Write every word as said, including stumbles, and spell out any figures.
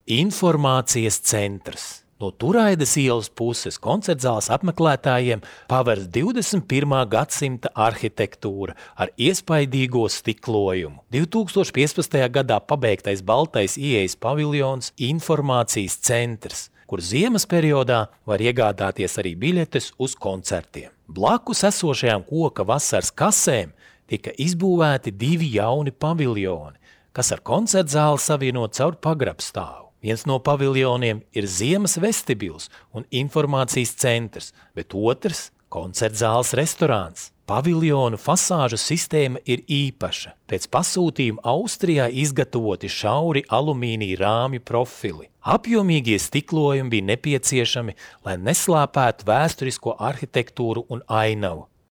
Informācijas centrs. No Turaidas ielas puses koncertzāles apmeklētājiem pavērs divdesmit pirmā gadsimta arhitektūra ar iespaidīgo stiklojumu. divtūkstoš piecpadsmitajā gadā pabeigtais baltais ieejas paviljons Informācijas centrs, kur ziemas periodā var iegādāties arī biļetes uz koncertiem. Blakus esošajām koka vasaras kasēm tika izbūvēti divi jauni paviljoni, kas ar koncertzāli savienot caur pagrabstāvu. Viens no paviljoniem ir ziemas vestibils un informācijas centrs, bet otrs – koncertzāles restorāns. Paviljonu fasāžu sistēma ir īpaša. Pēc pasūtījuma Austrijā izgatavoti šauri alumīnija rāmju profili. Apjomīgie stiklojumi bija nepieciešami, lai neslāpētu vēsturisko arhitektūru un ainavu,